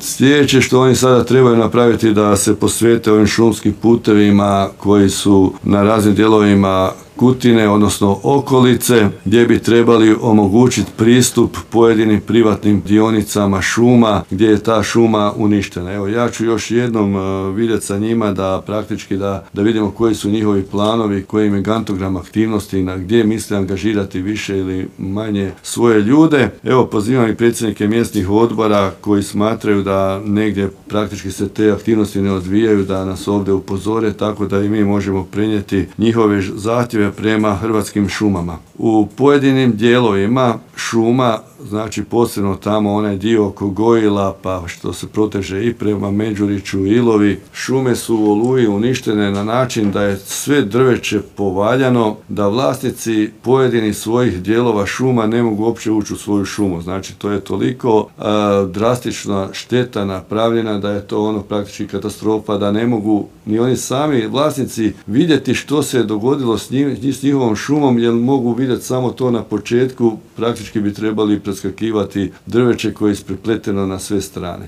Sljedeće što oni sada trebaju napraviti da se posvete ovim šumskim putevima koji su na raznim dijelovima Kutine, odnosno okolice, gdje bi trebali omogućiti pristup pojedinim privatnim dionicama šuma gdje je ta šuma uništena. Evo, ja ću još jednom vidjeti sa njima da praktički da vidimo koji su njihovi planovi, koji im je gantogram aktivnosti, na gdje misle angažirati više ili manje svoje ljude. Evo, pozivam i predsjednike mjesnih odbora koji smatraju da negdje praktički se te aktivnosti ne odvijaju, da nas ovdje upozore, tako da i mi možemo prenijeti njihove zahtjeve prema Hrvatskim šumama. U pojedinim dijelovima šuma, znači posebno tamo onaj dio oko Gojila, pa što se proteže i prema Međuriću, Ilovi, šume su u Oluji uništene na način da je sve drveće povaljano, da vlasnici pojedinih svojih dijelova šuma ne mogu uopće ući u svoju šumu. Znači to je toliko drastična šteta napravljena da je to ono praktički katastrofa, da ne mogu ni oni sami vlasnici vidjeti što se je dogodilo s njihovom šumom, jer mogu vidjeti samo to na početku, praktički bi trebali preskakivati drveće koje je isprepleteno na sve strane.